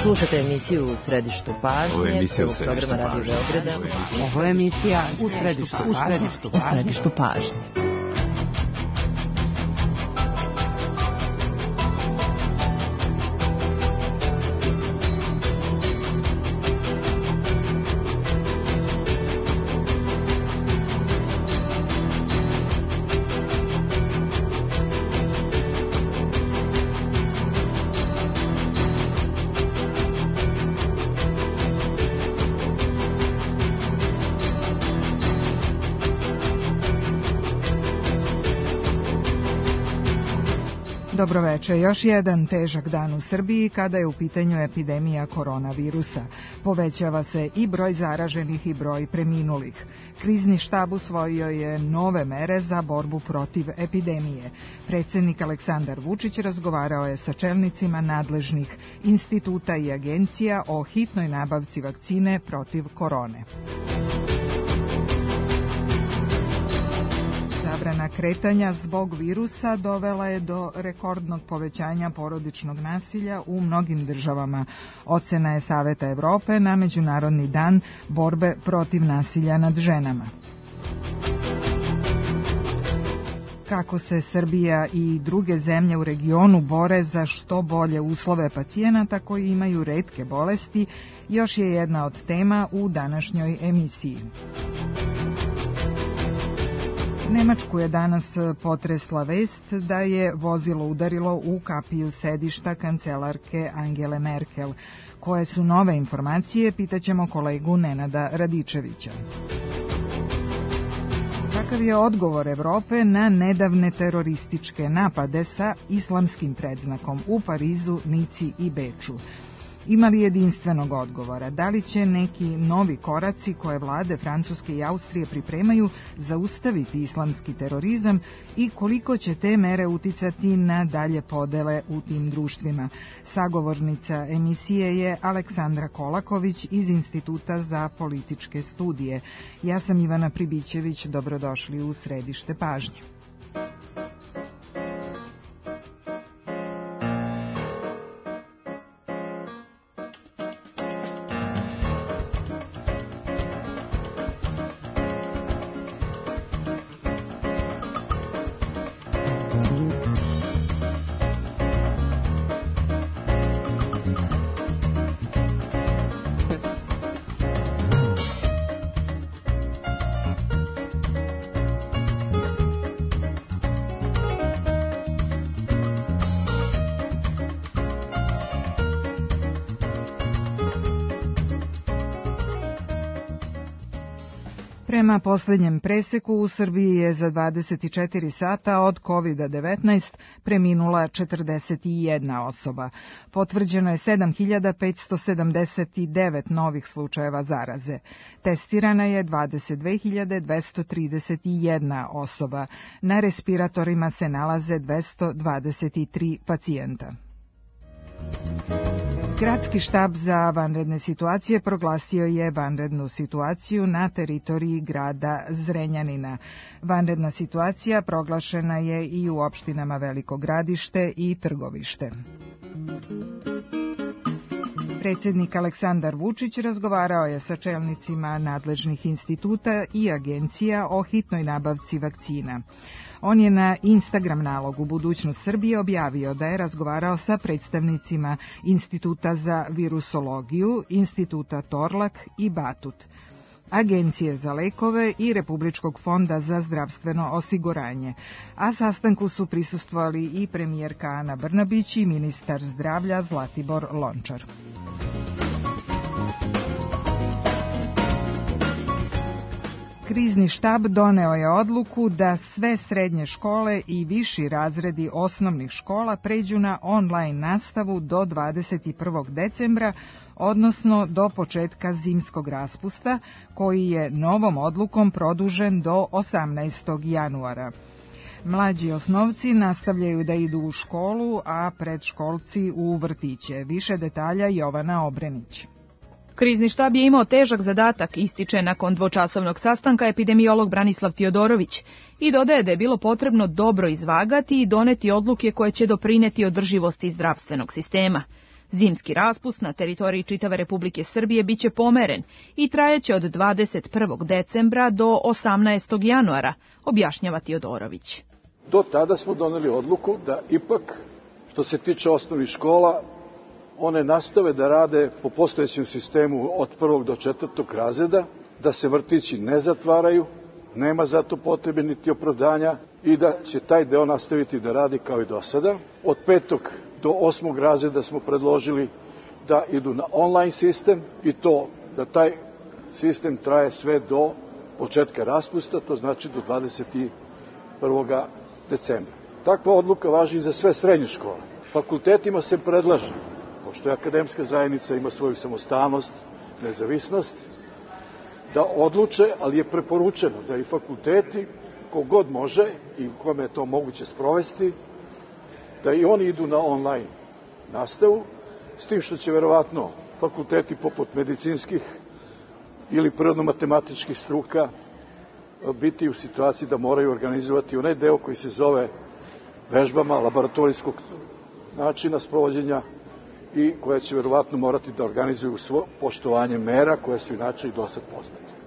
Slušate emisiju U središtu pažnje, programa Radio Beograda. Ovo je emisija U središtu pažnje. Dobroveče, još jedan težak dan u Srbiji kada je u pitanju epidemija koronavirusa. Povećava se i broj zaraženih i broj preminulih. Krizni štab usvojio je nove mere za borbu protiv epidemije. Predsjednik Aleksandar Vučić razgovarao je sa čelnicima nadležnih instituta i agencija o hitnoj nabavci vakcine protiv korone. Zabrana kretanja zbog virusa dovela je do rekordnog povećanja porodičnog nasilja u mnogim državama. Ocena je Saveta Evrope na Međunarodni dan borbe protiv nasilja nad ženama. Kako se Srbija i druge zemlje u regionu bore za što bolje uslove pacijenata koji imaju retke bolesti, još je jedna od tema u današnjoj emisiji. Nemačku je danas potresla vest da je vozilo udarilo u kapiju sedišta kancelarke Angele Merkel. Koje su nove informacije, pitaćemo kolegu Nenada Radičevića. Kakav je odgovor Evrope na nedavne terorističke napade sa islamskim predznakom u Parizu, Nici i Beču? Ima li jedinstvenog odgovora? Da li će neki novi koraci koje vlade Francuske i Austrije pripremaju zaustaviti islamski terorizam i koliko će te mere uticati na dalje podele u tim društvima? Sagovornica emisije je Aleksandra Kolaković iz Instituta za političke studije. Ja sam Ivana Pribićević, dobrodošli u središte pažnje. Prema posljednjem preseku u Srbiji je za 24 sata od COVID-19 preminula 41 osoba. Potvrđeno je 7579 novih slučajeva zaraze. Testirana je 22.231 osoba. Na respiratorima se nalaze 223 pacijenta. Gradski štab za vanredne situacije proglasio je vanrednu situaciju na teritoriji grada Zrenjanina. Vanredna situacija proglašena je i u opštinama Veliko Gradište i Trgovište. Predsjednik Aleksandar Vučić razgovarao je sa čelnicima nadležnih instituta i agencija o hitnoj nabavci vakcina. On je na Instagram nalogu Budućnost Srbije objavio da je razgovarao sa predstavnicima Instituta za virusologiju, Instituta Torlak i Batut, Agencije za lekove i Republičkog fonda za zdravstveno osiguranje. A sastanku su prisustvovali i premijerka Ana Brnabić i ministar zdravlja Zlatibor Lončar. Krizni štab doneo je odluku da sve srednje škole i viši razredi osnovnih škola pređu na online nastavu do 21. decembra, odnosno do početka zimskog raspusta, koji je novom odlukom produžen do 18. januara. Mlađi osnovci nastavljaju da idu u školu, a predškolci u vrtiće. Više detalja Jovana Obrenić. Krizni štab je imao težak zadatak, ističe nakon dvočasovnog sastanka epidemiolog Branislav Tiodorović i dodaje da je bilo potrebno dobro izvagati i doneti odluke koje će doprineti održivosti zdravstvenog sistema. Zimski raspust na teritoriji čitave Republike Srbije biće pomeren i trajeće od 21. decembra do 18. januara, objašnjava Tiodorović. Do tada smo doneli odluku da ipak, što se tiče osnovnih škola, one nastave da rade po postojećem sistemu od 1. do 4. razreda, da se vrtići ne zatvaraju, nema za to potrebe niti opravdanja i da će taj deo nastaviti da radi kao i do sada. Od 5. do 8. razreda smo predložili da idu na online sistem i to da taj sistem traje sve do početka raspusta, to znači do 21. decembra. Takva odluka važi i za sve srednje škole. Fakultetima se predlaže, pošto je akademska zajednica ima svoju samostalnost, nezavisnost, da odluče, ali je preporučeno da i fakulteti, kogod može i u kome je to moguće sprovesti, da i oni idu na online nastavu, s tim što će verovatno fakulteti poput medicinskih ili prirodno-matematičkih struka biti u situaciji da moraju organizovati onaj deo koji se zove vežbama laboratorijskog načina sprovođenja i koje će verovatno morati da organizuju svo poštovanje mera koje su inače i dosad poznate.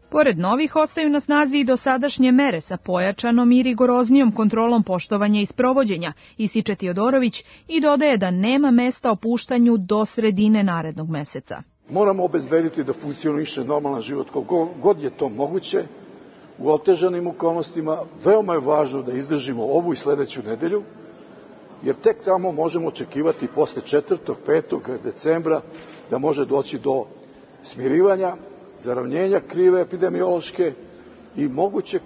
Pored novih ostaju na snazi i dosadašnje mere sa pojačanom i rigoroznijom kontrolom poštovanja i sprovođenja, ističe Tiodorović i dodaje da nema mesta opuštanju do sredine narednog meseca. Moramo obezbediti da funkcioniše normalan život koliko god je to moguće u otežanim okolnostima. Veoma je važno da izdržimo ovu i sledeću nedelju, jer tek tamo možemo očekivati posle 4. 5. decembra da može doći do smirivanja, zaravnjenja krive epidemiološke i mogućeg,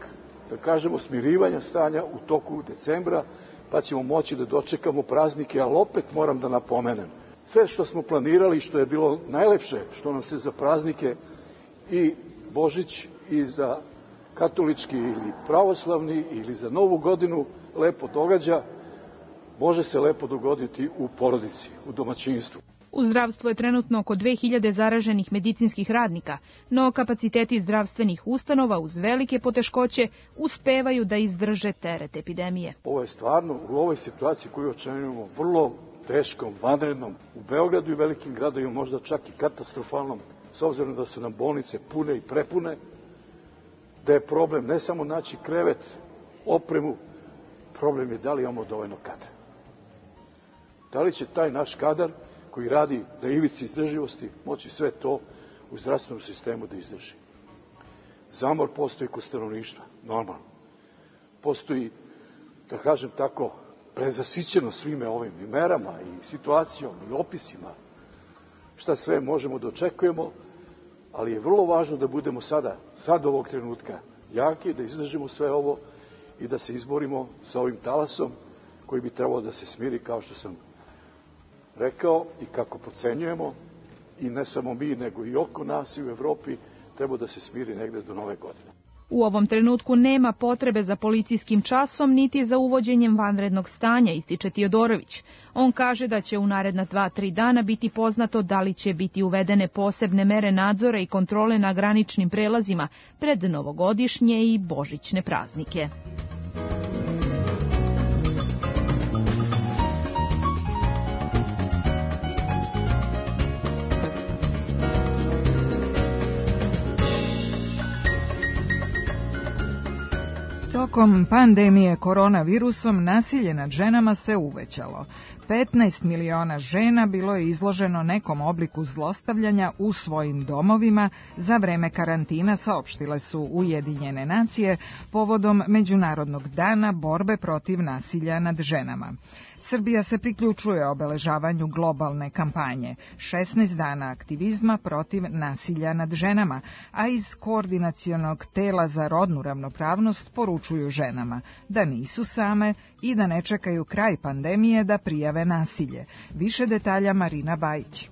da kažemo, smirivanja stanja u toku decembra, pa ćemo moći da dočekamo praznike, ali opet moram da napomenem. Sve što smo planirali, što je bilo najlepše, što nam se za praznike i Božić i za katolički ili pravoslavni ili za Novu godinu lepo događa, može se lepo dogoditi u porodici, u domaćinstvu. U zdravstvu je trenutno oko 2000 zaraženih medicinskih radnika, no kapaciteti zdravstvenih ustanova uz velike poteškoće uspevaju da izdrže teret epidemije. Ovo je stvarno u ovoj situaciji koju očekujemo vrlo teškom, vanrednom, u Beogradu i velikim gradovima možda čak i katastrofalnom, s obzirom da su nam bolnice pune i prepune, da je problem ne samo naći krevet, opremu, problem je da li imamo dovoljno kadra. Da li će taj naš kadar koji radi na ivici izdrživosti moći sve to u zdravstvenom sistemu da izdrži. Zamor postoji kod stanovništva, normalno. Postoji, da kažem tako, prezasićeno svime ovim i merama i situacijom i opisima šta sve možemo da očekujemo, ali je vrlo važno da budemo sad ovog trenutka jaki, da izdržimo sve ovo i da se izborimo sa ovim talasom koji bi trebalo da se smiri, kao što sam rekao i kako procenjujemo, i ne samo mi, nego i oko nas i u Evropi, treba da se smiri negde do nove godine. U ovom trenutku nema potrebe za policijskim časom niti za uvođenjem vanrednog stanja, ističe Tiodorović. On kaže da će u naredna 2-3 dana biti poznato da li će biti uvedene posebne mere nadzora i kontrole na graničnim prelazima pred novogodišnje i božićne praznike. Tokom pandemije koronavirusom nasilje nad ženama se uvećalo. 15 miliona žena bilo je izloženo nekom obliku zlostavljanja u svojim domovima za vreme karantina, saopštile su Ujedinjene nacije povodom Međunarodnog dana borbe protiv nasilja nad ženama. Srbija se priključuje obeležavanju globalne kampanje 16 dana aktivizma protiv nasilja nad ženama, a iz Koordinacionog tela za rodnu ravnopravnost poručuju ženama da nisu same i da ne čekaju kraj pandemije da prijave nasilje. Više detalja Marina Bajić.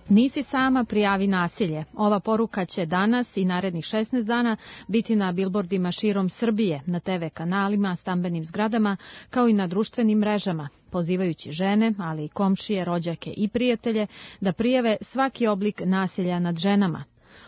Nisi sama, prijavi nasilje. Ova poruka će danas i narednih 16 dana biti na bilbordima širom Srbije, na TV kanalima, stambenim zgradama, kao i na društvenim mrežama, pozivajući žene, ali i komšije, rođake i prijatelje da prijave svaki oblik nasilja nad ženama.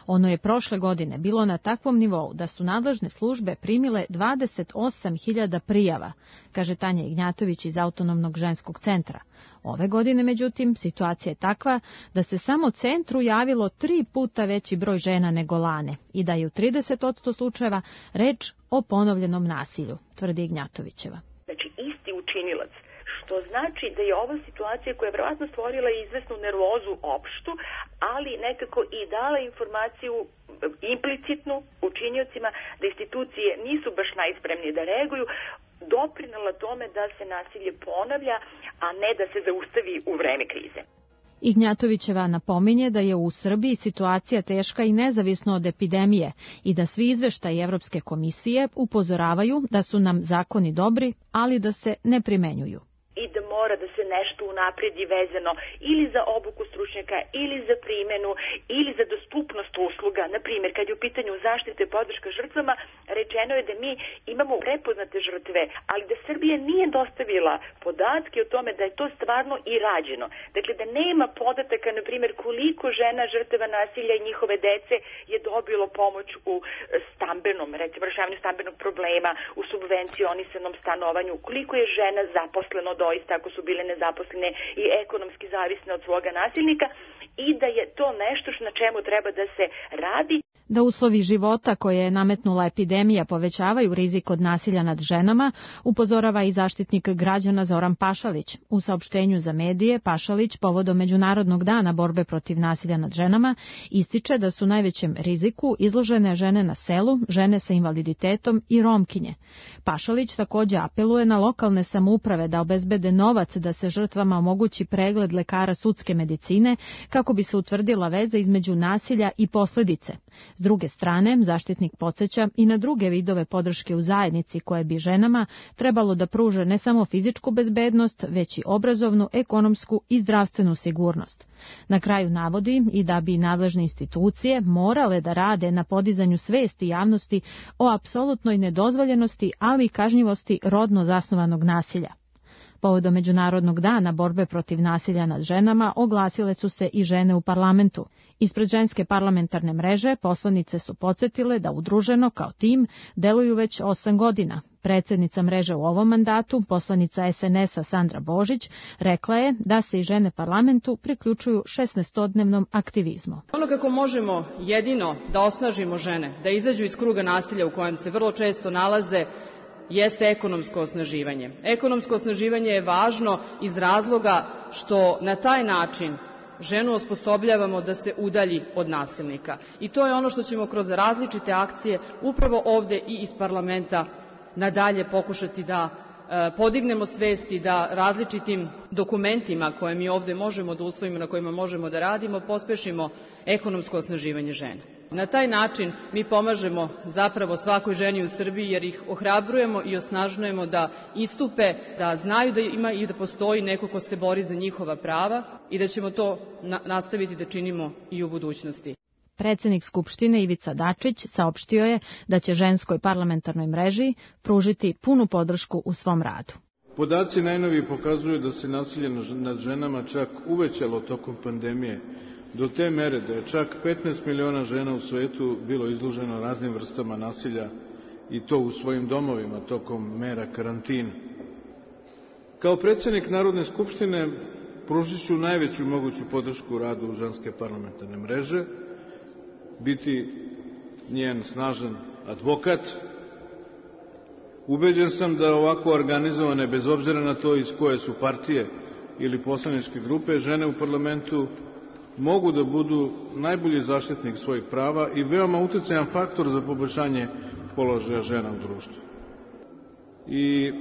Ono je prošle godine bilo na takvom nivou da su nadležne službe primile 28.000 prijava, kaže Tanja Ignjatović iz Autonomnog ženskog centra. Ove godine, međutim, situacija je takva da se samo centru javilo 3 puta veći broj žena nego lane i da je u 30% slučajeva reč o ponovljenom nasilju, tvrdi Ignjatovićeva. Znači, isti učinilac, što znači da je ova situacija koja je vjerojatno stvorila izvesnu nervozu opštu, ali nekako i dala informaciju implicitnu učiniocima da institucije nisu baš najspremnije da reaguju, doprinela tome da se nasilje ponavlja, a ne da se zaustavi u vreme krize. Ignjatovićeva napominje da je u Srbiji situacija teška i nezavisno od epidemije i da svi izveštaji Evropske komisije upozoravaju da su nam zakoni dobri, ali da se ne primenjuju. I da mora da se nešto unapredi vezano ili za obuku stručnjaka, ili za primenu, ili za dostupnost usluga. Na primjer, kad je u pitanju zaštite i podrška žrtvama, rečeno je da mi imamo prepoznate žrtve, ali da Srbija nije dostavila podatke o tome da je to stvarno i rađeno. Dakle, da nema podataka, na primjer, koliko žena žrtava nasilja i njihove dece je dobilo pomoć u stambenom, recimo rešavanju stambenog problema, u subvencionisanom stanovanju, koliko je žena zaposleno doista ako su bile nezaposlene i ekonomski zavisne od svoga nasilnika, i da je to nešto na čemu treba da se radi. Da uslovi života koje je nametnula epidemija povećavaju rizik od nasilja nad ženama, upozorava i zaštitnik građana Zoran Pašalić. U saopštenju za medije Pašalić povodom Međunarodnog dana borbe protiv nasilja nad ženama ističe da su najvećem riziku izložene žene na selu, žene sa invaliditetom i Romkinje. Pašalić također apeluje na lokalne samouprave da obezbede novac da se žrtvama omogući pregled lekara sudske medicine kako bi se utvrdila veza između nasilja i posljedice. S druge strane, zaštitnik podsjeća i na druge vidove podrške u zajednici koje bi ženama trebalo da pruže ne samo fizičku bezbednost, već i obrazovnu, ekonomsku i zdravstvenu sigurnost. Na kraju navodi i da bi nadležne institucije morale da rade na podizanju svesti javnosti o apsolutnoj nedozvoljenosti, ali i kažnjivosti rodno zasnovanog nasilja. Povodom Međunarodnog dana borbe protiv nasilja nad ženama oglasile su se i žene u parlamentu. Ispred ženske parlamentarne mreže poslanice su podsjetile da udruženo kao tim deluju već 8 godina. Predsjednica mreže u ovom mandatu, poslanica SNS-a Sandra Božić, rekla je da se i žene parlamentu priključuju 16-dnevnom aktivizmu. Ono kako možemo jedino da osnažimo žene, da izađu iz kruga nasilja u kojem se vrlo često nalaze, jeste ekonomsko osnaživanje. Ekonomsko osnaživanje je važno iz razloga što na taj način ženu osposobljavamo da se udalji od nasilnika. I to je ono što ćemo kroz različite akcije upravo ovde i iz parlamenta nadalje pokušati da podignemo svesti, da različitim dokumentima koje mi ovde možemo da usvojimo, na kojima možemo da radimo, pospešimo ekonomsko osnaživanje žena. Na taj način mi pomažemo zapravo svakoj ženi u Srbiji jer ih ohrabrujemo i osnažujemo da istupe, da znaju da ima i da postoji neko ko se bori za njihova prava i da ćemo to nastaviti da činimo i u budućnosti. Predsjednik Skupštine Ivica Dačić saopštio je da će ženskoj parlamentarnoj mreži pružiti punu podršku u svom radu. Podaci najnoviji pokazuju da se nasilje nad ženama čak uvećalo tokom pandemije, do te mere da je čak 15 miliona žena u svetu bilo izloženo raznim vrstama nasilja i to u svojim domovima tokom mera karantina. Kao predsjednik Narodne skupštine pružit ću najveću moguću podršku u radu ženske parlamentarne mreže, biti njen snažan advokat. Ubeđen sam da ovako organizovane, bez obzira na to iz koje su partije ili poslaničke grupe, žene u parlamentu mogu da budu najbolji zaštitnik svojih prava i veoma uticajan faktor za poboljšanje položaja žena u društvu. I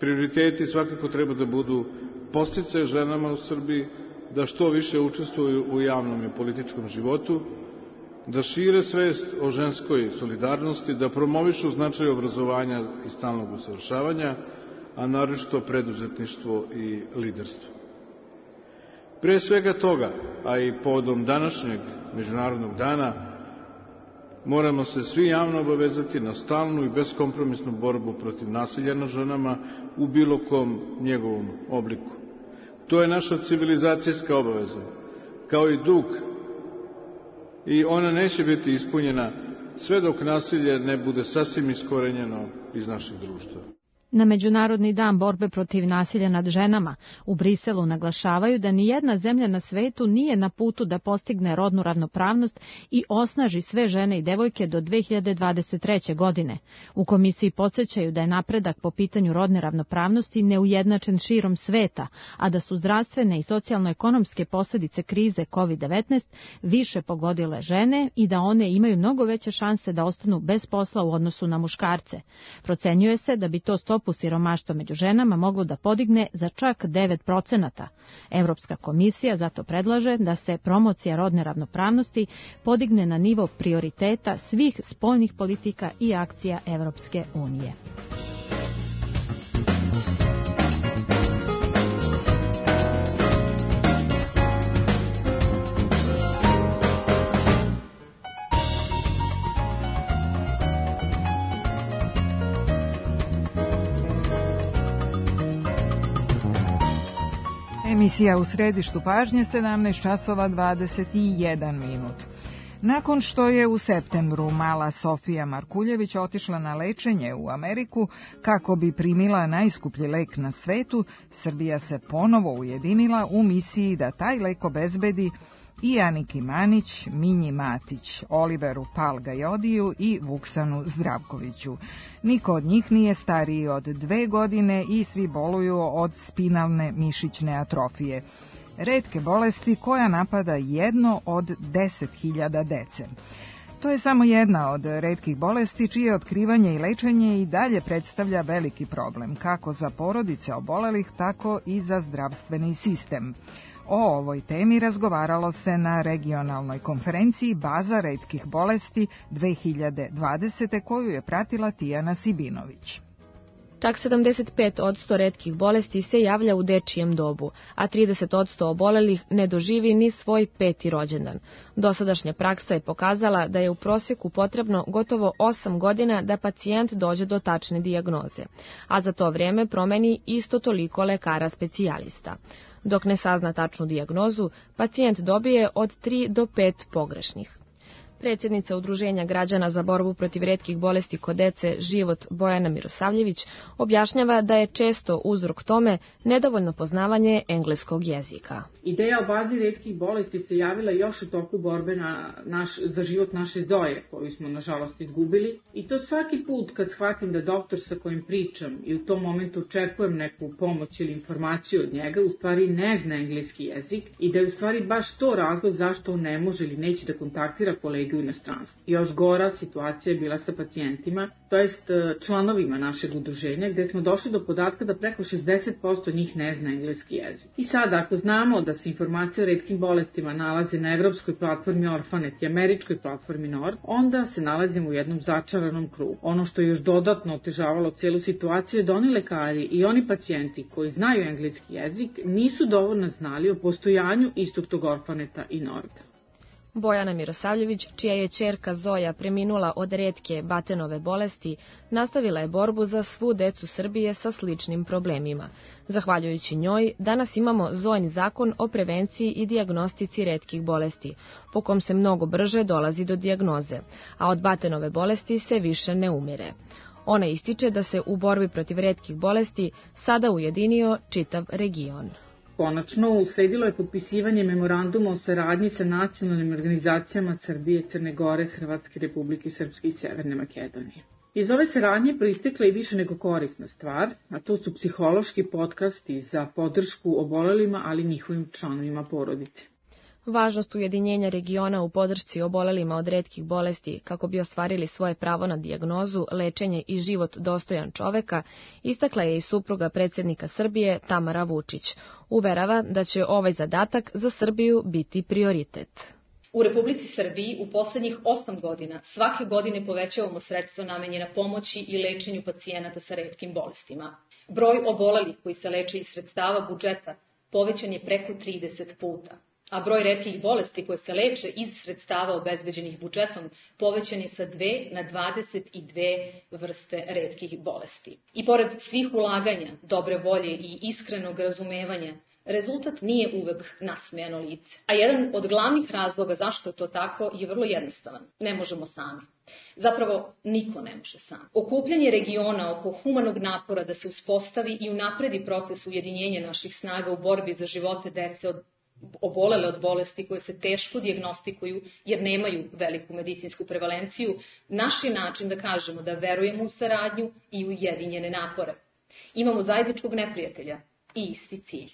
prioriteti svakako treba da budu podsticaj ženama u Srbiji, da što više učestvuju u javnom i političkom životu, da šire svest o ženskoj solidarnosti, da promovišu značaj obrazovanja i stalnog usavršavanja, a naročito preduzetništvo i liderstvo. Pre svega toga, a i povodom današnjeg Međunarodnog dana, moramo se svi javno obavezati na stalnu i beskompromisnu borbu protiv nasilja nad ženama u bilo kom njegovom obliku. To je naša civilizacijska obaveza, kao i dug i ona neće biti ispunjena sve dok nasilje ne bude sasvim iskorenjeno iz našeg društva. Na Međunarodni dan borbe protiv nasilja nad ženama u Briselu naglašavaju da nijedna zemlja na svetu nije na putu da postigne rodnu ravnopravnost i osnaži sve žene i devojke do 2023. godine. U komisiji podsjećaju da je napredak po pitanju rodne ravnopravnosti neujednačen širom sveta, a da su zdravstvene i socijalno-ekonomske posljedice krize COVID-19 više pogodile žene i da one imaju mnogo veće šanse da ostanu bez posla u odnosu na muškarce. Procenjuje se da bi to stopu siromaštva među ženama moglo da podigne za čak 9%. Europska komisija zato predlaže da se promocija rodne ravnopravnosti podigne na nivo prioriteta svih spoljnih politika i akcija Evropske unije. Emisija u središtu pažnje 17 časova 21 minut. Nakon što je u septembru mala Sofija Markuljević otišla na lečenje u Ameriku kako bi primila najskuplji lek na svetu, Srbija se ponovo ujedinila u misiji da taj lek obezbedi i Aniki Manić, Minji Matić, Oliveru Palgajodiju i Vuksanu Zdravkoviću. Niko od njih nije stariji od 2 godine i svi boluju od spinalne mišićne atrofije, retke bolesti koja napada 1 od 10.000 dece. To je samo jedna od retkih bolesti čije otkrivanje i lečenje i dalje predstavlja veliki problem, kako za porodice obolelih, tako i za zdravstveni sistem. O ovoj temi razgovaralo se na regionalnoj konferenciji Baza retkih bolesti 2020. koju je pratila Tijana Sibinović. Čak 75% retkih bolesti se javlja u dečijem dobu, a 30% obolelih ne doživi ni svoj 5. rođendan. Dosadašnja praksa je pokazala da je u prosjeku potrebno gotovo 8 godina da pacijent dođe do tačne dijagnoze, a za to vrijeme promeni isto toliko lekara specijalista. Dok ne sazna tačnu dijagnozu, pacijent dobije od 3 do 5 pogrešnih. Predsjednica Udruženja građana za borbu protiv retkih bolesti kod dece Život Bojana Mirosavljević objašnjava da je često uzrok tome nedovoljno poznavanje engleskog jezika. Ideja o bazi retkih bolesti se javila još u toku borbe za život naše Zoje, koju smo nažalost izgubili, i to svaki put kad shvatim da doktor sa kojim pričam i u tom momentu očekujem neku pomoć ili informaciju od njega, u stvari ne zna engleski jezik i da je u stvari baš to razlog zašto on ne može ili neće da kontaktira kolege u inostranstvu. Još gora situacija je bila sa pacijentima, to jest članovima našeg udruženja, gde smo došli do podatka da preko 60% njih ne zna engleski jezik. I sada, ako znamo da se informacije o retkim bolestima nalaze na evropskoj platformi Orphanet i američkoj platformi Nord, onda se nalazimo u jednom začaranom krugu. Ono što je još dodatno otežavalo celu situaciju je da oni lekari i oni pacijenti koji znaju engleski jezik nisu dovoljno znali o postojanju istog tog Orphaneta i Norda. Bojana Mirosavljević, čija je ćerka Zoja preminula od retke Batenove bolesti, nastavila je borbu za svu decu Srbije sa sličnim problemima. Zahvaljujući njoj, danas imamo Zojin zakon o prevenciji i dijagnostici retkih bolesti, po kom se mnogo brže dolazi do dijagnoze, a od Batenove bolesti se više ne umire. Ona ističe da se u borbi protiv retkih bolesti sada ujedinio čitav region. Konačno, usledilo je potpisivanje memoranduma o saradnji sa nacionalnim organizacijama Srbije, Crne Gore, Hrvatske Republike Srpske i Severne Makedonije. Iz ove saradnje proistekla je više nego korisna stvar, a to su psihološki podcasti za podršku obolelima, ali njihovim članovima porodice. Važnost ujedinjenja regiona u podršci obolelima od retkih bolesti kako bi ostvarili svoje pravo na dijagnozu, lečenje i život dostojan čoveka, istakla je i supruga predsjednika Srbije Tamara Vučić. Uverava da će ovaj zadatak za Srbiju biti prioritet. U Republici Srbiji u poslednjih 8 godina svake godine povećavamo sredstva namenjena pomoći i lečenju pacijenata sa retkim bolestima. Broj obolelih koji se leče iz sredstava budžeta povećan je preko 30 puta. A broj retkih bolesti koje se leče iz sredstava obezbeđenih budžetom povećan je sa 2 na 22 vrste retkih bolesti. I pored svih ulaganja, dobre volje i iskrenog razumevanja, rezultat nije uvek nasmejano lice. A jedan od glavnih razloga zašto je to tako je vrlo jednostavan. Ne možemo sami. Zapravo, niko ne može sam. Okupljanje regiona oko humanog napora da se uspostavi i unapredi proces ujedinjenja naših snaga u borbi za živote dece obolele od bolesti koje se teško dijagnostikuju jer nemaju veliku medicinsku prevalenciju, naš je način da kažemo da verujemo u saradnju i u ujedinjene napore. Imamo zajedničkog neprijatelja i isti cilj.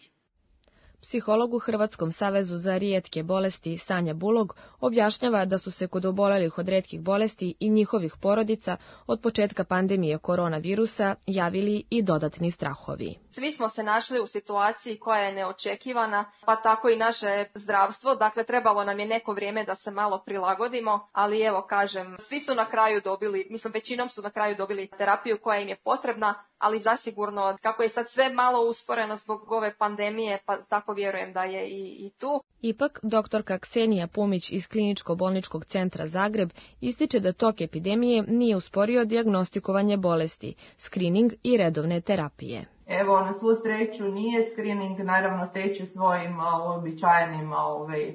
Psiholog u Hrvatskom savezu za rijetke bolesti Sanja Bulog objašnjava da su se kod obolelih od rijetkih bolesti i njihovih porodica od početka pandemije koronavirusa javili i dodatni strahovi. Svi smo se našli u situaciji koja je neočekivana, pa tako i naše zdravstvo. Dakle, trebalo nam je neko vrijeme da se malo prilagodimo, ali evo kažem, svi su na kraju dobili, većinom su na kraju dobili terapiju koja im je potrebna, ali zasigurno kako je sad sve malo usporeno zbog ove pandemije, pa tako vjerujem da je i tu. Ipak, doktorka Ksenija Pumić iz Kliničko-bolničkog centra Zagreb ističe da tok epidemije nije usporio dijagnostikovanje bolesti, skrining i redovne terapije. Evo, na svu sreću nije, screening naravno teče svojim uobičajenim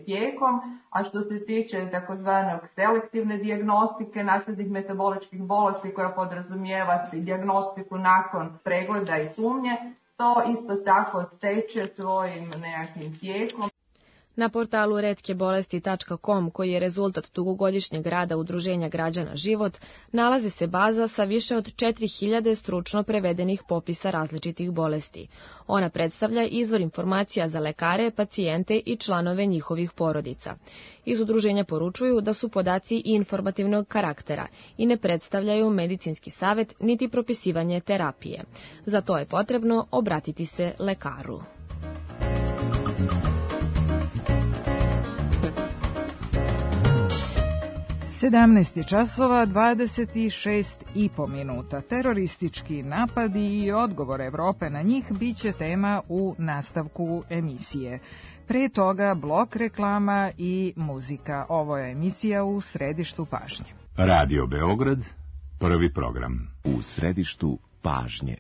tijekom, a što se tiče takozvanog selektivne dijagnostike nasljednih metaboličkih bolesti koja podrazumijeva dijagnostiku nakon pregleda i sumnje, to isto tako teče svojim nekakvim tijekom. Na portalu retkebolesti.com, koji je rezultat dugogodišnjeg rada Udruženja građana Život, nalazi se baza sa više od 4000 stručno prevedenih popisa različitih bolesti. Ona predstavlja izvor informacija za lekare, pacijente i članove njihovih porodica. Iz udruženja poručuju da su podaci i informativnog karaktera i ne predstavljaju medicinski savjet niti propisivanje terapije. Za to je potrebno obratiti se lekaru. 17 časova 26,5 minuta. Teroristički napadi i odgovor Evrope na njih biće tema u nastavku emisije. Pre toga blok reklama i muzika. Ovo je emisija U središtu pažnje. Radio Beograd, prvi program. U središtu pažnje.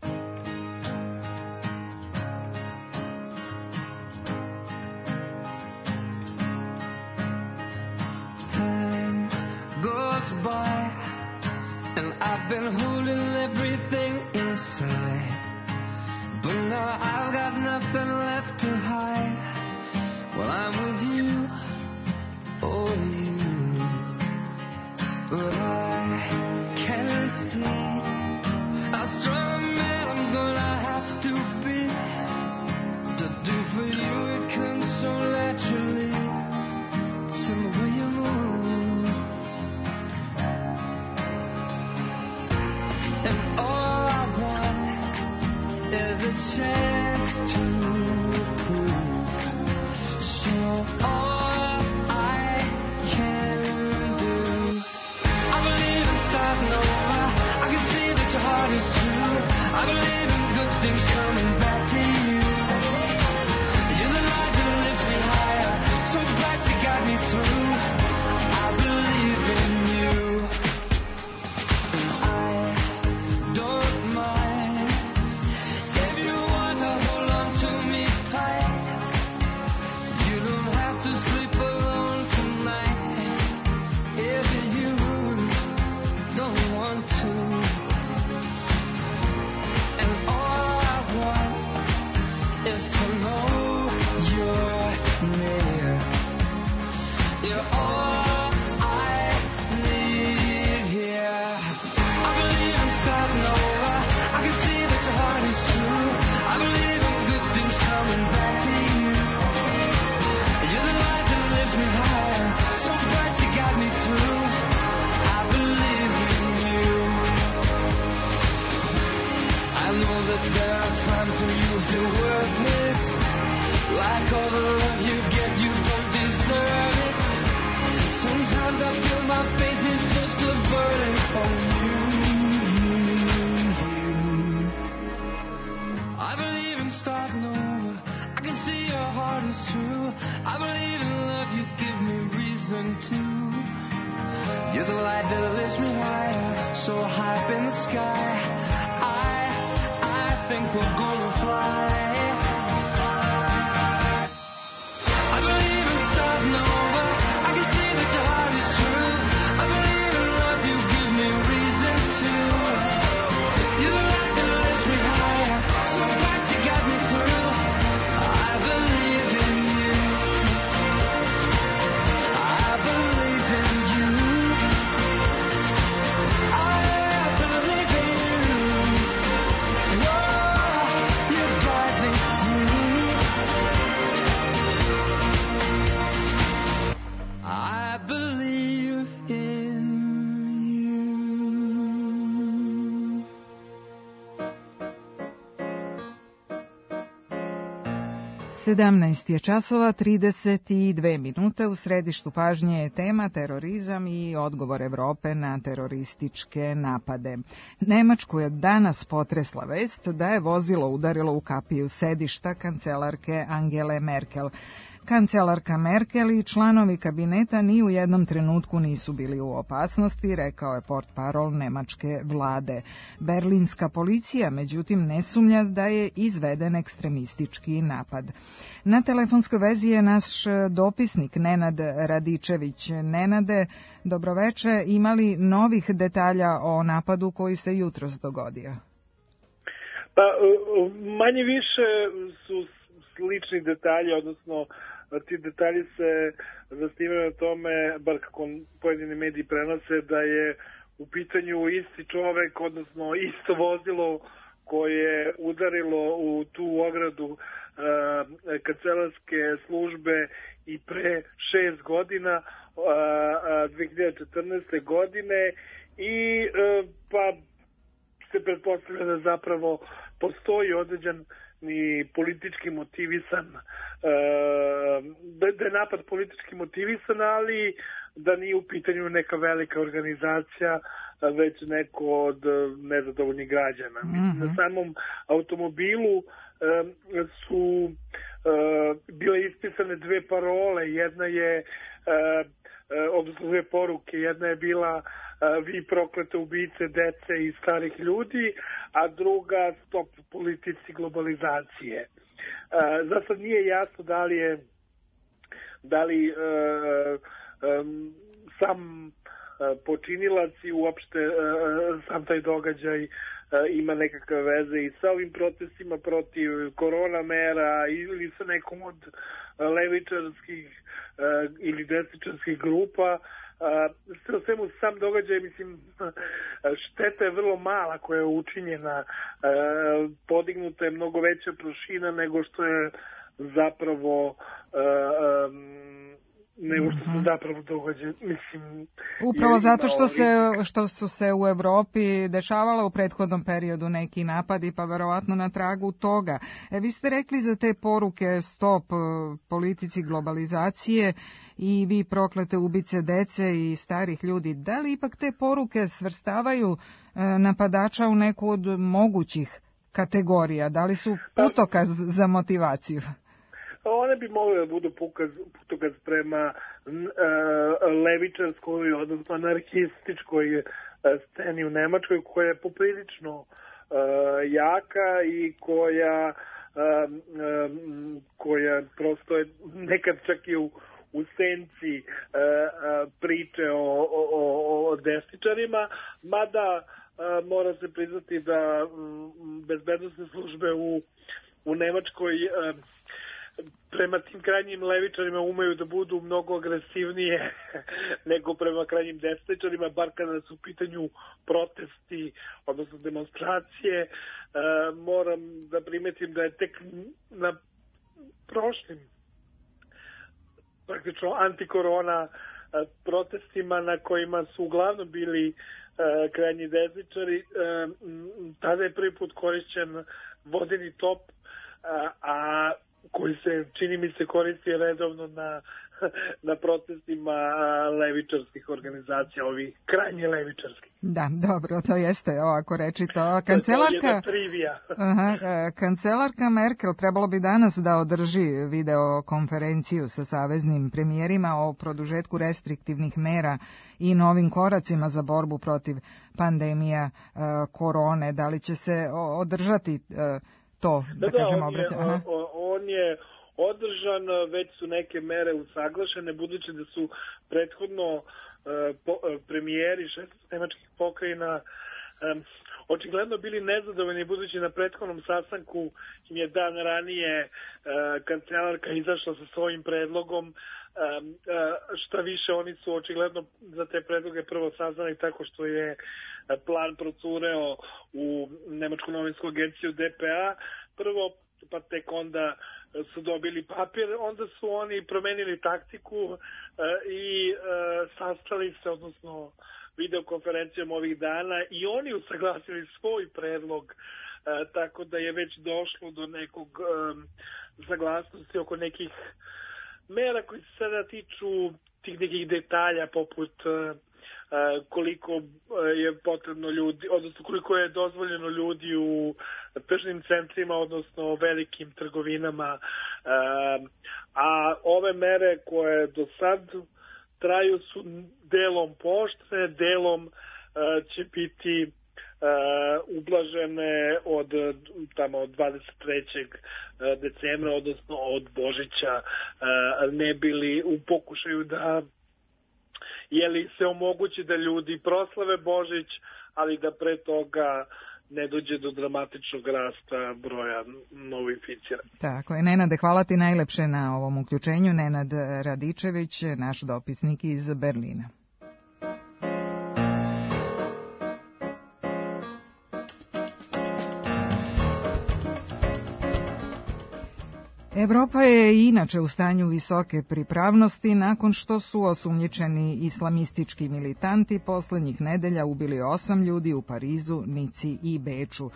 By, and I've been holding everything inside, but now I've got nothing left to hide. Well, I'm with you, oh you, but I can't see how strong a man I'm gonna have to be to do for you. It comes so naturally, some way you move. Chance to prove, so all I can do. I believe in starting over. I can see that your heart is true. I believe in good things coming back to you. You're the light that lifts me higher, so bright you got me through. I believe in you, and I don't mind. You're the light that lifts me higher, so high up in the sky. I think we're gonna fly. 17 je časova 32 minute. U središtu pažnje je tema terorizam i odgovor Evrope na terorističke napade. Nemačku je danas potresla vest da je vozilo udarilo u kapiju sedišta kancelarke Angele Merkel. Kancelarka Merkel i članovi kabineta ni u jednom trenutku nisu bili u opasnosti, rekao je portparol nemačke vlade. Berlinska policija, međutim, ne sumnja da je izveden ekstremistički napad. Na telefonskoj vezi je naš dopisnik Nenad Radičević. Nenade, dobroveče, imali novih detalja o napadu koji se jutros dogodio? Pa, manje više su slični detalji, odnosno ti detalji se zasnivaju na tome, bar kako pojedini mediji prenose, da je u pitanju isti čovek, odnosno isto vozilo koje je udarilo u tu ogradu kancelarske službe i pre 6 godina, 2014. godine, i pa se pretpostavlja da zapravo postoji određen ni politički motivisan, da je napad politički motivisan, ali da nije u pitanju neka velika organizacija, već neko od nezadovoljnih građana. Na samom automobilu su bile ispisane dve parole, jedna je, odnosno dve poruke, jedna je bila vi proklete ubice dece i starih ljudi, a druga stop politici globalizacije. Za sad nije jasno da li sam počinilac i uopšte sam taj događaj ima nekakve veze i sa ovim protestima protiv korona mera ili sa nekom od levičarskih ili desničarskih grupa. Sve o svemu sam događaj, mislim, šteta je vrlo mala koja je učinjena, podignuta je mnogo veća prašina nego što je zapravo događa. Mislim, upravo zato što su se u Evropi dešavale u prethodnom periodu neki napadi, pa verovatno na tragu toga. Vi ste rekli za te poruke stop politici globalizacije i vi proklete ubice dece i starih ljudi. Da li ipak te poruke svrstavaju napadača u neku od mogućih kategorija? Da li su putokaz za motivaciju? One bi mogle da budu putokaz prema levičarskoj, odnosno anarhističkoj sceni u Nemačkoj, koja je poprilično jaka i koja prosto je nekad čak i u senci priče o desničarima, mada mora se priznati da bezbednosne službe u Nemačkoj prema tim krajnjim levičarima umeju da budu mnogo agresivnije nego prema krajnjim desničarima, bar kada su u pitanju protesti, odnosno demonstracije. Moram da primetim da je tek na prošlim praktično antikorona protestima na kojima su uglavnom bili krajnji desničari, tada je prvi put korišćen vodeni top, a koji se, čini mi se, koristi redovno na protestima levičarskih organizacija, ovih krajnje levičarskih. Da, dobro, to jeste ovako rečito. Kancelarka Merkel trebalo bi danas da održi videokonferenciju sa saveznim premijerima o produžetku restriktivnih mera i novim koracima za borbu protiv pandemija korone. Da li će se održati to, da kažemo, obraćanje? On je održan, već su neke mere usaglašene, budući da su prethodno premijeri 16 nemačkih pokrajina očigledno bili nezadovoljni, budući na prethodnom sastanku im je dan ranije kancelarka izašla sa svojim predlogom. Šta više, oni su očigledno za te predloge prvo saznali tako što je plan procureo u Nemačku novinsku agenciju DPA prvo, pa tek onda su dobili papir, onda su oni promenili taktiku i sastali se, odnosno videokonferencijom ovih dana, i oni usaglasili svoj predlog tako da je već došlo do nekog saglasnosti oko nekih mera koji se sada tiču tih nekih detalja poput koliko je potrebno ljudi, odnosno koliko je dozvoljeno ljudi u tržnim centrima, odnosno velikim trgovinama, a ove mere koje do sad traju su delom pooštrene, delom će biti ublažene od 23. decembra, odnosno od Božića, ne bili u pokušaju da se omogući da ljudi proslave Božić, ali da pre toga ne dođe do dramatičnog rasta broja novoinficiranih. Tako je. Nenade, hvala ti najlepše na ovom uključenju. Nenad Radičević, naš dopisnik iz Berlina. Evropa je inače u stanju visoke pripravnosti nakon što su osumnjičeni islamistički militanti poslednjih nedelja ubili 8 ljudi u Parizu, Nici i Beču.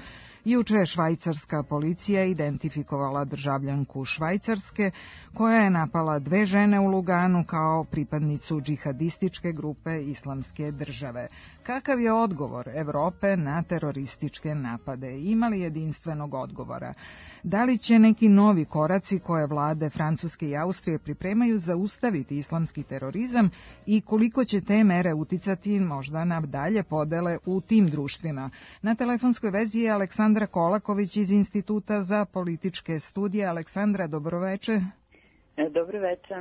Juče je švajcarska policija identifikovala državljanku Švajcarske koja je napala 2 žene u Luganu kao pripadnicu džihadističke grupe Islamske države. Kakav je odgovor Evrope na terorističke napade? Ima li jedinstvenog odgovora? Da li će neki novi koraci koje vlade Francuske i Austrije pripremaju zaustaviti islamski terorizam i koliko će te mere uticati možda na dalje podele u tim društvima? Na telefonskoj vezi je Aleksandra Kolaković iz Instituta za političke studije. Aleksandra, dobroveče. Dobroveče.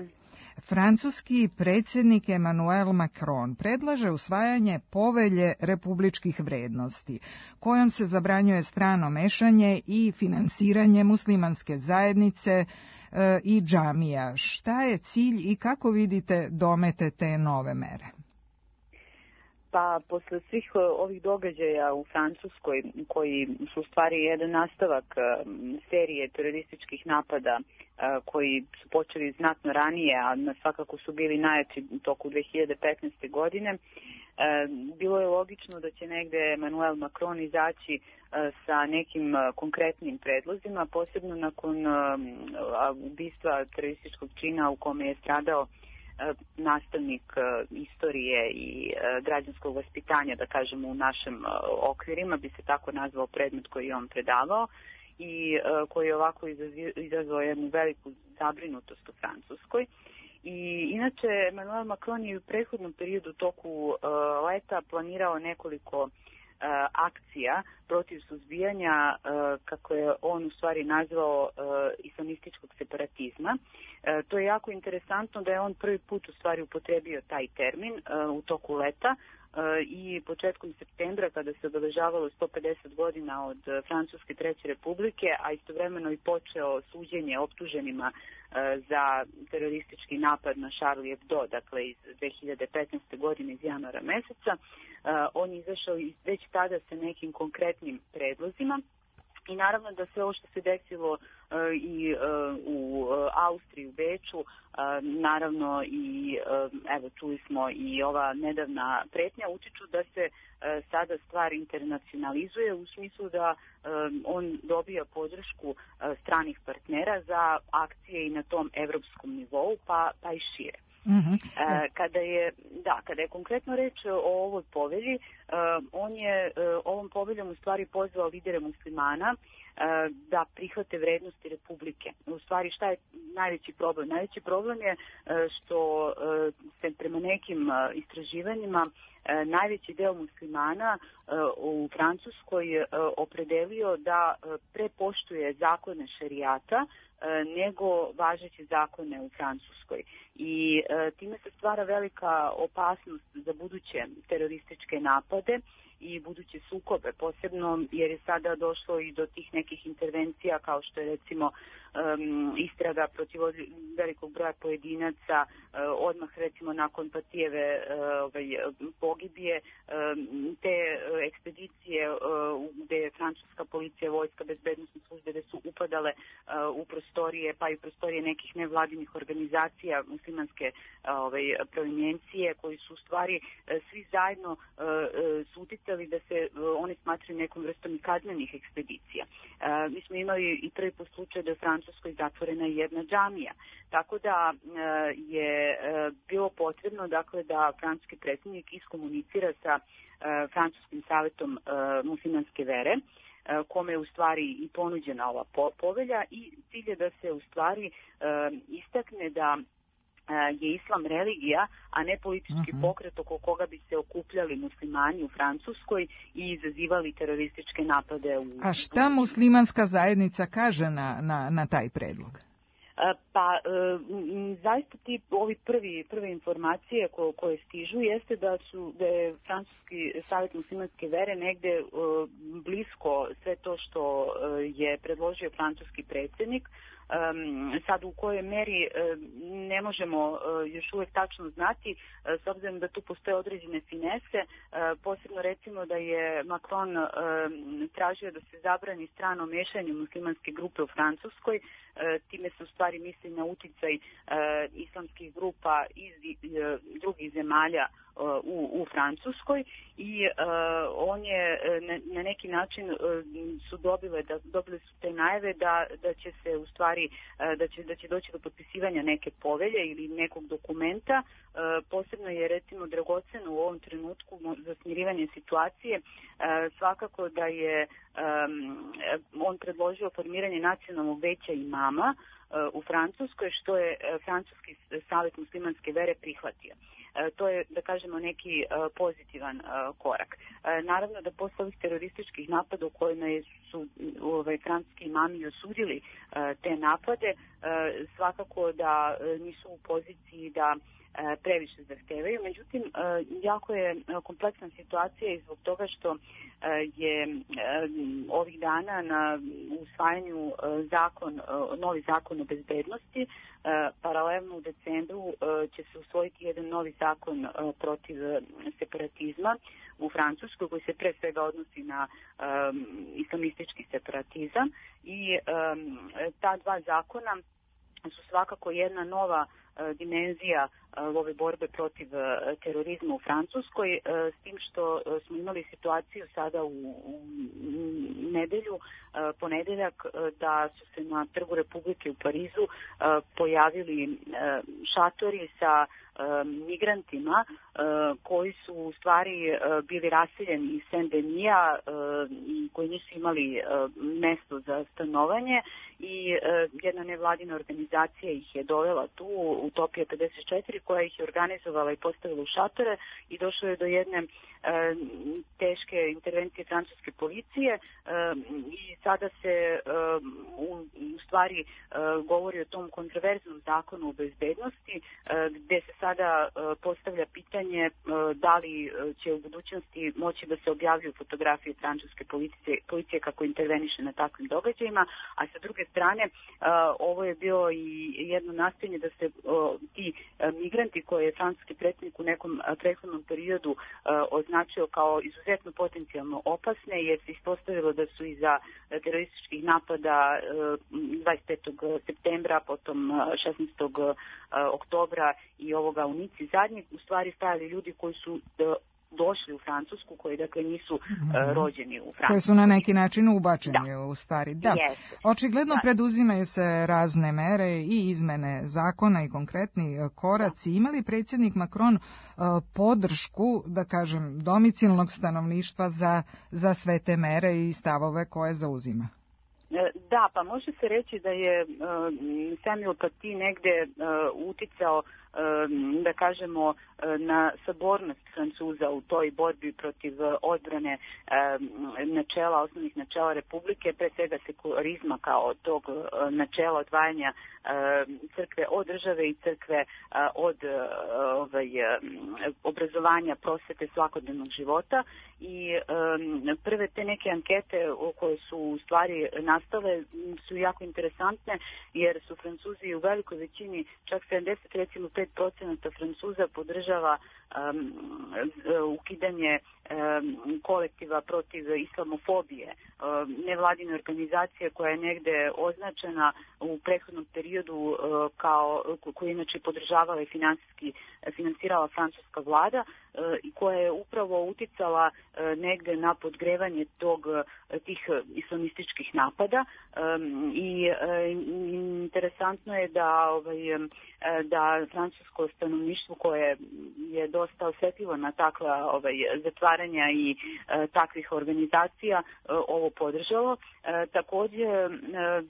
Francuski predsjednik Emmanuel Macron predlaže usvajanje povelje republičkih vrednosti, kojom se zabranjuje strano mešanje i finansiranje muslimanske zajednice i džamija. Šta je cilj i kako vidite domete te nove mere? Pa, posle svih ovih događaja u Francuskoj, koji su u stvari jedan nastavak serije terorističkih napada koji su počeli znatno ranije, a svakako su bili najjači u toku 2015. godine, bilo je logično da će negde Emmanuel Macron izaći sa nekim konkretnim predlozima, posebno nakon ubistva terorističkog čina u kome je stradao nastavnik istorije i građanskog vaspitanja, da kažemo u našim okvirima, bi se tako nazvao predmet koji je on predavao i koji je ovako izazvao jednu veliku zabrinutost u Francuskoj. I inače, Emmanuel Macron je u prethodnom periodu toku leta planirao nekoliko akcija protiv suzbijanja, kako je on u stvari nazvao, islamističkog separatizma. To je jako interesantno da je on prvi put u stvari upotrebio taj termin u toku leta i početkom septembra, kada se obeležavalo 150 godina od Francuske treće republike, a istovremeno i počeo suđenje optuženima za teroristički napad na Charlie Hebdo, dakle iz 2015. godine iz januara meseca. On je izašao već tada sa nekim konkretnim predlozima. I naravno da sve ovo što se desilo i u Austriji, u Beču, naravno i evo čuli smo i ova nedavna pretnja, utiču da se sada stvar internacionalizuje u smislu da on dobija podršku stranih partnera za akcije i na tom evropskom nivou, pa i šire. Kada je konkretno reč o ovoj povelji, on je ovom poveljom u stvari pozvao lidere muslimana da prihvate vrednosti Republike. U stvari, šta je najveći problem? Najveći problem je što se prema nekim istraživanjima najveći deo muslimana u Francuskoj opredelio da prepoštuje zakone šerijata nego važeće zakone u Francuskoj. I time se stvara velika opasnost za buduće terorističke napade i buduće sukobe, posebno jer je sada došlo i do tih nekih intervencija kao što je recimo istraga protiv velikog broja pojedinaca, odmah recimo nakon Patijeve pogibije, te ekspedicije gde je francuska policija, vojska, bezbednosne službe gde su upadale u prostorije, pa i prostorije nekih nevladinih organizacija muslimanske provinjencije, koji su u stvari svi zajedno su uticali da se oni smatraju nekom vrstom i kaznenih ekspedicija. Mi smo imali i prvi put slučaj da je u Francuskoj zatvorena jedna džamija, tako da je bilo potrebno dakle da francuski predsjednik iskomunicira sa Francuskim savetom muslimanske vere, kome je u stvari i ponuđena ova povelja, i cilj je da se u stvari istakne da je islam religija, a ne politički pokret oko koga bi se okupljali muslimani u Francuskoj i izazivali terorističke napade. A šta muslimanska zajednica kaže na taj predlog? Pa, zaista ovi prve informacije koje stižu jeste da je Francuski savjet muslimanske vere negde blisko sve to što je predložio francuski predsjednik. Sad u kojoj meri ne možemo još uvijek tačno znati, s obzirom da tu postoje određene finese, posebno recimo da je Macron tražio da se zabrani strano mešanje muslimanske grupe u Francuskoj, time se u stvari misli na uticaj islamskih grupa iz drugih zemalja u Francuskoj, i on je na neki način dobili su te najave da će se u stvari da će doći do potpisivanja neke povelje ili nekog dokumenta. Posebno je recimo dragoceno u ovom trenutku za smirivanje situacije svakako da je on predložio formiranje nacionalnog veća imama u Francuskoj, što je Francuski savjet muslimanske vere prihvatio. To je, da kažemo, neki pozitivan korak. Naravno da posle ovih terorističkih napada u kojima su francuski imami osudili te napade, svakako da nisu u poziciji da previše zahtevaju. Međutim, jako je kompleksna situacija i zbog toga što je ovih dana na usvajanju novi zakon o bezbednosti. Paralelno u decembru će se usvojiti jedan novi zakon protiv separatizma u Francuskoj, koji se pre svega odnosi na islamistički separatizam, i ta dva zakona su svakako jedna nova dimenzija ove borbe protiv terorizma u Francuskoj, s tim što smo imali situaciju sada u ponedeljak, da su se na Trgu Republike u Parizu pojavili šatori sa migrantima koji su u stvari bili raseljeni iz Saint-Denis i koji nisu imali mesto za stanovanje, i jedna nevladina organizacija ih je dovela tu, Utopija 54, koja ih je organizovala i postavila u šatore, i došlo je do jedne teške intervencije francuske policije, i sada se u stvari govori o tom kontroverznom zakonu o bezbednosti, gde se sada postavlja pitanje da li će u budućnosti moći da se objavljuju fotografije francuske policije kako interveniše na takvim događajima, a sa druge strane ovo je bilo i jedno nastojanje da se ti migranti koje je francuski predsjednik u nekom prethodnom periodu označio kao izuzetno potencijalno opasne, jer se ispostavilo da su iza terorističkih napada 25. septembra, potom 16. oktobra i ovoga u Nici zadnjeg, u stvari stajali ljudi koji su došli u Francusku, koji dakle nisu rođeni u Francusku. Koji su na neki način ubačeni u stvari. Da. Očigledno preduzimaju se razne mere i izmene zakona i konkretni koraci. Ima li predsjednik Macron podršku, da kažem, domicilnog stanovništva za sve te mere i stavove koje zauzima? Da, pa može se reći da je Samuel Paty negde uticao, da kažemo, na sabornost Francuza u toj borbi protiv odbrane osnovnih načela Republike, pre svega sekularizma kao tog načela odvajanja crkve od države i crkve od obrazovanja, prosvete, svakodnevnog života. I prve te neke ankete koje su u stvari nastale su jako interesantne, jer su Francuzi u velikoj većini, čak 75% Francuza podržava ukidanje kolektiva protiv islamofobije, nevladine organizacije koja je negde označena u prethodnom periodu koju inače podržavala i finansirala francuska vlada i koja je upravo uticala negde na podgrevanje tih islamističkih napada i interesantno je da francusko stanovništvo koje je dosta osjetljivo na takva zatvaranja i takvih organizacija ovo podržalo. Takođe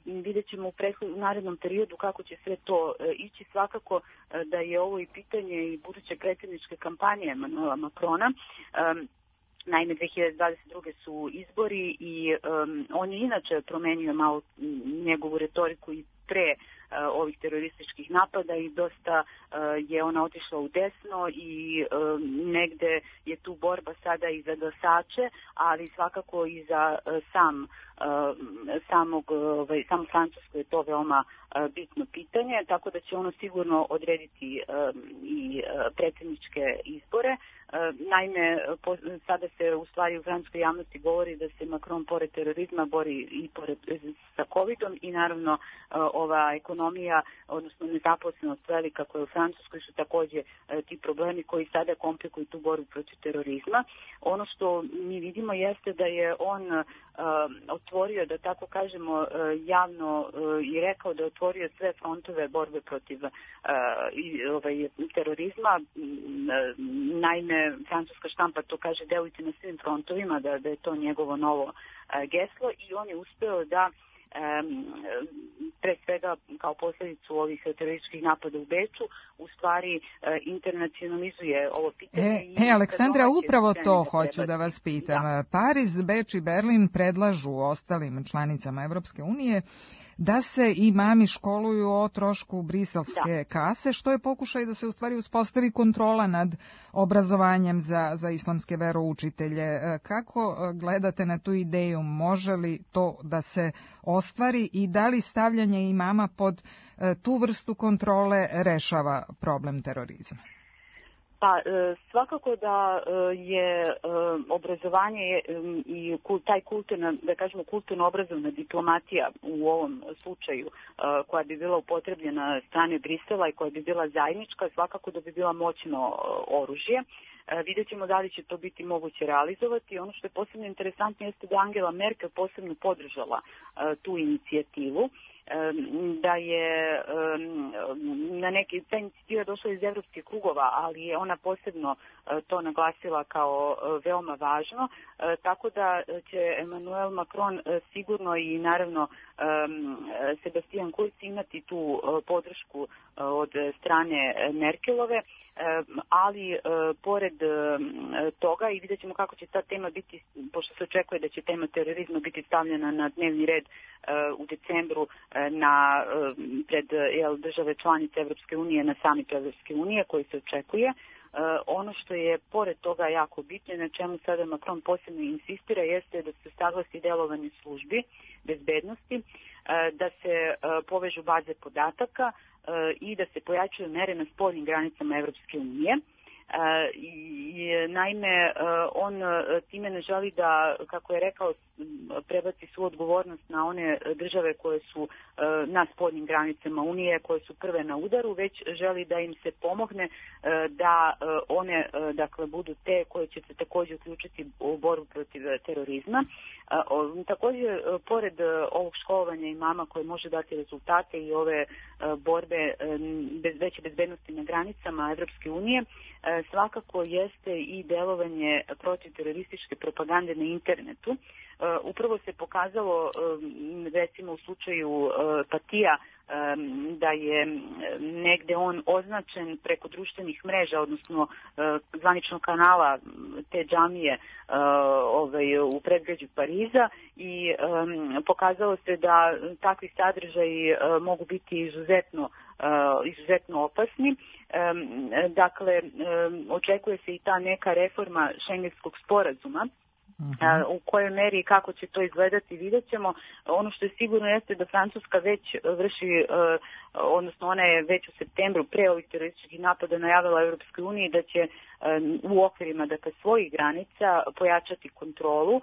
vidjet ćemo u narednom periodu kako će sve to ići. Svakako da je ovo i pitanje i buduće predsjedničke kampanje Emmanuela Macrona. Naime, 2022. su izbori i on je inače promenio malo njegovu retoriku i pre ovih terorističkih napada i dosta je ona otišla u desno i negde je tu borba sada i za glasače, ali svakako i za samo Francusko je to veoma bitno pitanje, tako da će ono sigurno odrediti i predsjedničke izbore. Naime, sada se u stvari u francuskoj javnosti govori da se Macron pored terorizma bori i sa covidom i naravno ova ekonomija, odnosno nezaposlenost velika koja je u Francuskoj su takođe ti problemi koji sada komplikuju tu borbu protiv terorizma. Ono što mi vidimo jeste da je on otvorio, da tako kažemo, javno i rekao da je otvorio sve frontove borbe protiv terorizma. Naime, francuska štampa to kaže, delujte na svim frontovima, da je to njegovo novo geslo i on je uspeo da pre svega kao posljedicu ovih terorističkih napada u Beču u stvari internacionalizuje ovo pitanje. Aleksandra, upravo to hoću da vas pitam. Da. Pariz, Beč i Berlin predlažu ostalim članicama Evropske unije da se imami školuju o trošku briselske kase, što je pokušaj da se u stvari uspostavi kontrola nad obrazovanjem za islamske veroučitelje. Kako gledate na tu ideju? Može li to da se ostvari i da li stavljanje imama pod tu vrstu kontrole rešava problem terorizma? Pa svakako da je obrazovanje i taj kulturno-obrazovna diplomatija u ovom slučaju koja bi bila upotrebljena strane Brisela i koja bi bila zajednička, svakako da bi bila moćno oružje. Vidjet ćemo da li će to biti moguće realizovati. Ono što je posebno interesantno jeste da Angela Merkel posebno podržala tu inicijativu, da je na neki ta inicijativa došla iz evropskih krugova, ali je ona posebno to naglasila kao veoma važno, tako da će Emmanuel Macron sigurno i naravno Sebastian Kurz imati tu podršku od strane Merkelove, ali pored toga i vidjet ćemo kako će ta tema biti, pošto se očekuje da će tema terorizma biti stavljena na dnevni red u decembru pred države članice Evropske unije na samitu Evropske unije koji se očekuje. Ono što je pored toga jako bitno, na čemu sada Macron posebno insistira, jeste da se saglasi delovanje službi bezbednosti, da se povežu baze podataka i da se pojačaju mere na spoljnim granicama Evropske unije. Naime, on time ne želi da, kako je rekao, prebaci svu odgovornost na one države koje su na spoljnim granicama Unije, koje su prve na udaru, već želi da im se pomogne da one, dakle, budu te koje će se također uključiti u borbu protiv terorizma. Također, pored ovog školovanja imama koje može dati rezultate i ove borbe veće bezbednosti na granicama Evropske unije, svakako jeste i delovanje protiv terorističke propagande na internetu. Upravo se pokazalo, recimo u slučaju Patija, da je negde on označen preko društvenih mreža, odnosno zvaničnog kanala te džamije u predgrađu Pariza i pokazalo se da takvi sadržaji mogu biti izuzetno opasni. Dakle, očekuje se i ta neka reforma šengenskog sporazuma U kojoj meri i kako će to izgledati vidjet ćemo. Ono što je sigurno jeste da Francuska već vrši, odnosno ona je već u septembru pre ovih terorističkih napada najavila Europskoj uniji da će u okvirima svojih granica pojačati kontrolu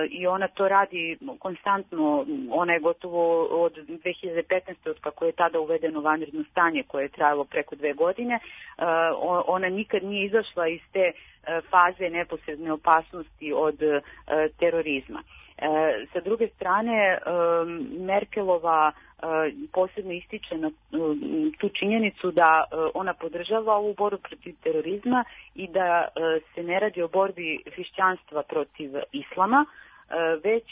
i ona to radi konstantno. Ona je gotovo od 2015. od kako je tada uvedeno vanredno stanje koje je trajalo preko 2 godine. Ona nikad nije izašla iz te faze neposredne opasnosti od terorizma. Sa druge strane, Merkelova posebno ističe na tu činjenicu da ona podržava ovu borbu protiv terorizma i da se ne radi o borbi hrišćanstva protiv islama, već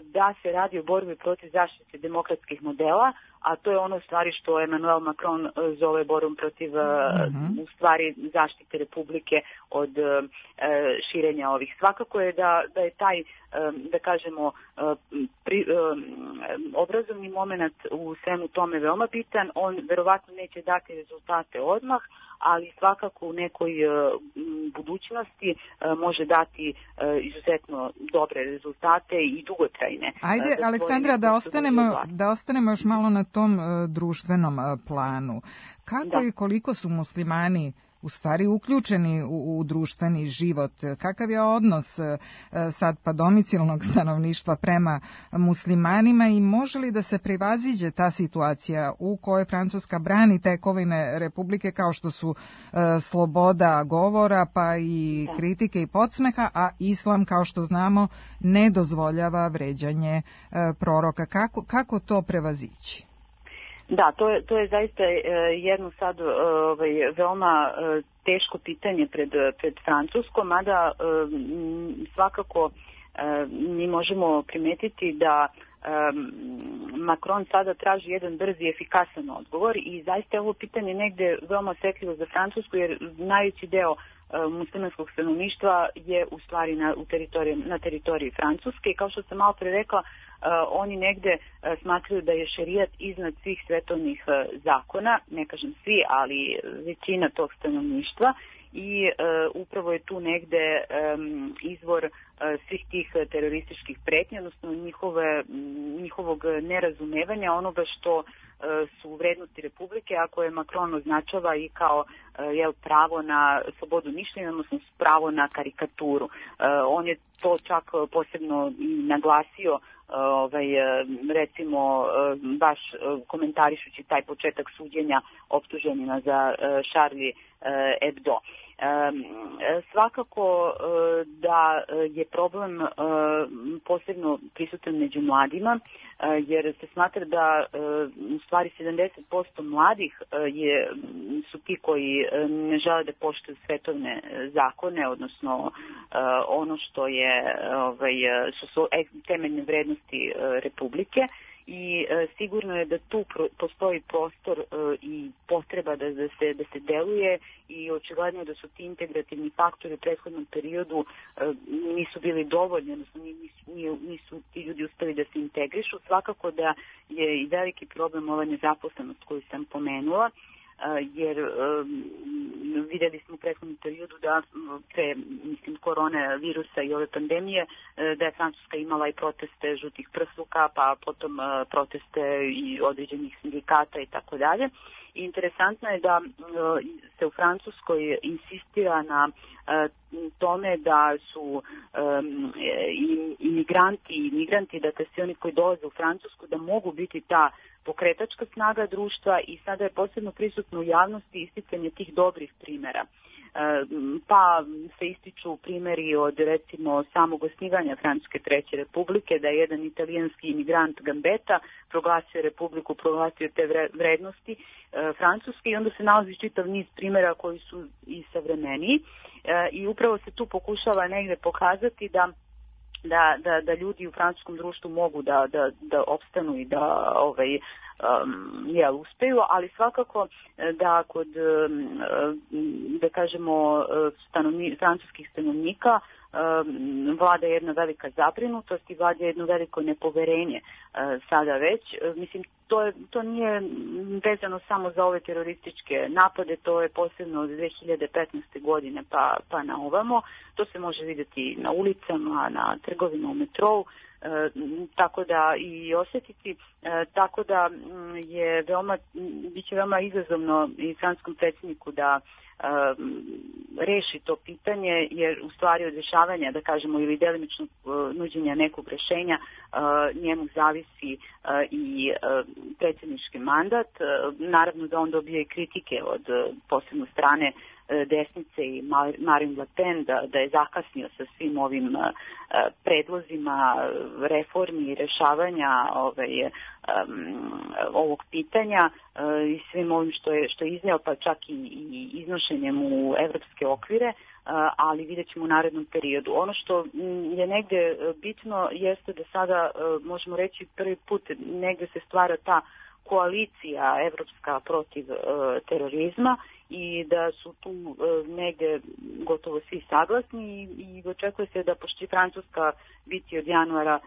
da se radi o borbi protiv zaštite demokratskih modela, a to je ono u stvari što Emmanuel Macron zove borbom protiv u stvari zaštite Republike od širenja ovih. Svakako je da je taj, da kažemo, obrazovni moment u svemu tome veoma bitan. On verovatno neće dati rezultate odmah, ali svakako u nekoj budućnosti može dati izuzetno dobre rezultate i dugotrajne. Ajde, Aleksandra, da ostanemo još malo na tom društvenom planu. Kako i koliko su muslimani u stvari uključeni u društveni život? Kakav je odnos sad pa domicilnog stanovništva prema muslimanima i može li da se prevaziđe ta situacija u kojoj Francuska brani tekovine Republike kao što su sloboda govora pa i kritike i podsmeha, a islam, kao što znamo, ne dozvoljava vređanje proroka? Kako to prevazići? Da, to je zaista jedno sad veoma teško pitanje pred Francuskom, mada svakako mi možemo primetiti da Macron sada traži jedan brzi i efikasan odgovor i zaista je ovo pitanje negde veoma osetljivo za Francusku, jer najveći deo muslimanskog stanovništva je u stvari na teritoriji Francuske i kao što sam malo pre rekla, oni negde smatraju da je šerijat iznad svih svetovnih zakona, ne kažem svi, ali većina tog stanovništva, i upravo je tu negde izvor svih tih terorističkih pretnji, odnosno njihovog nerazumevanja onoga što su vrednosti Republike, a koje Macron označava i kao pravo na slobodu mišljenja, odnosno pravo na karikaturu. On je to čak posebno naglasio, recimo baš komentarišući taj početak suđenja optuženima za Charlie Hebdo. Svakako da je problem posebno prisutan među mladima, jer se smatra da u stvari 70% mladih su ti koji ne žele da poštuju svetovne zakone, odnosno ono što su temeljne vrednosti Republike. I sigurno je da tu postoji prostor i potreba da se deluje i očigledno je da su ti integrativni faktori u prethodnom periodu nisu bili dovoljni, odnosno nisu ti ljudi uspeli da se integrišu. Svakako da je i veliki problem ova nezaposlenost koju sam pomenula, jer vidjeli smo u prethodnom periodu da pre korone virusa i ove pandemije da je Francuska imala i proteste žutih prsluka, pa potom proteste i određenih sindikata i tako dalje. Interesantno je da se u Francuskoj insistira na tome da su imigranti, dakle svi oni koji dolaze u Francusku, da mogu biti ta pokretačka snaga društva i sada je posebno prisutno u javnosti isticanje tih dobrih primjera. Pa se ističu primjeri od recimo samog osnivanja Francuske treće republike, da je jedan italijanski imigrant Gambetta proglasio republiku, proglasio te vrednosti Francuske i onda se nalazi čitav niz primjera koji su i savremeniji i upravo se tu pokušava negdje pokazati da ljudi u francuskom društvu mogu da opstanu i da uspeju, ali svakako da kod da kažemo francuskih stanovnika vlada jedna velika zabrinutost i vlada jedno veliko nepoverenje sada već. Mislim, to nije vezano samo za ove terorističke napade, to je posebno od 2015. godine pa na ovamo. To se može vidjeti na ulicama, na trgovima, u metrou, tako da i osjetiti, tako da biće veoma izazovno i francuskom predsjedniku da reši to pitanje, jer u stvari od rješavanja, da kažemo, ili delimično nuđenja nekog rješenja, njemu zavisi i predsjednički mandat. Naravno da on dobije i kritike od posebno strane desnice i Marine Le Pen da je zakasnio sa svim ovim predlozima reformi i rješavanja ovog pitanja i svim ovim što je izneo, pa čak i iznošenjem u evropske okvire, ali vidjet ćemo u narednom periodu. Ono što je negdje bitno jeste da sada možemo reći prvi put negdje se stvara ta koalicija evropska protiv terorizma i da su tu negdje gotovo svi saglasni i očekuje se da pošto će Francuska biti od januara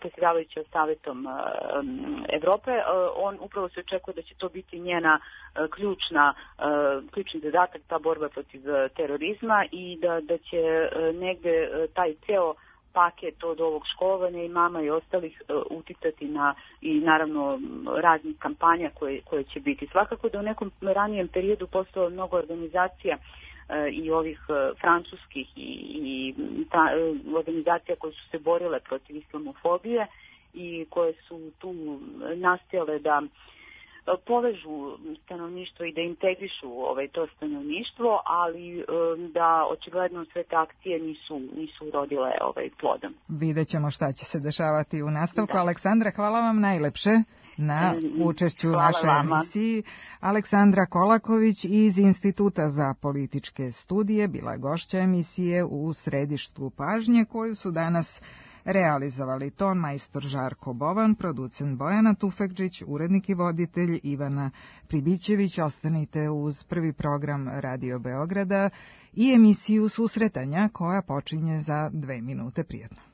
predsjedavajuća Savjetom Evrope, on upravo se očekuje da će to biti njena ključni zadatak, ta borba protiv terorizma i da će negdje taj ceo paket od ovog školovanja i mama i ostalih uticati na i naravno raznih kampanja koje će biti. Svakako da u nekom ranijem periodu postalo mnogo organizacija i ovih francuskih i organizacija koje su se borile protiv islamofobije i koje su tu nastojale da povežu stanovništvo i da integrišu to stanovništvo, ali da očigledno sve te akcije nisu urodile plodom. Vidjet ćemo šta će se dešavati u nastavku. Da. Aleksandra, hvala vam najlepše na učešću u našoj emisiji. Aleksandra Kolaković iz Instituta za političke studije bila je gošća emisije u Središtu pažnje koju su danas realizovali ton majstor Žarko Bovan, producent Bojana Tufekđić, urednik i voditelj Ivana Pribićević. Ostanite uz prvi program Radio Beograda i emisiju Susretanja koja počinje za 2 minute. Prijetno.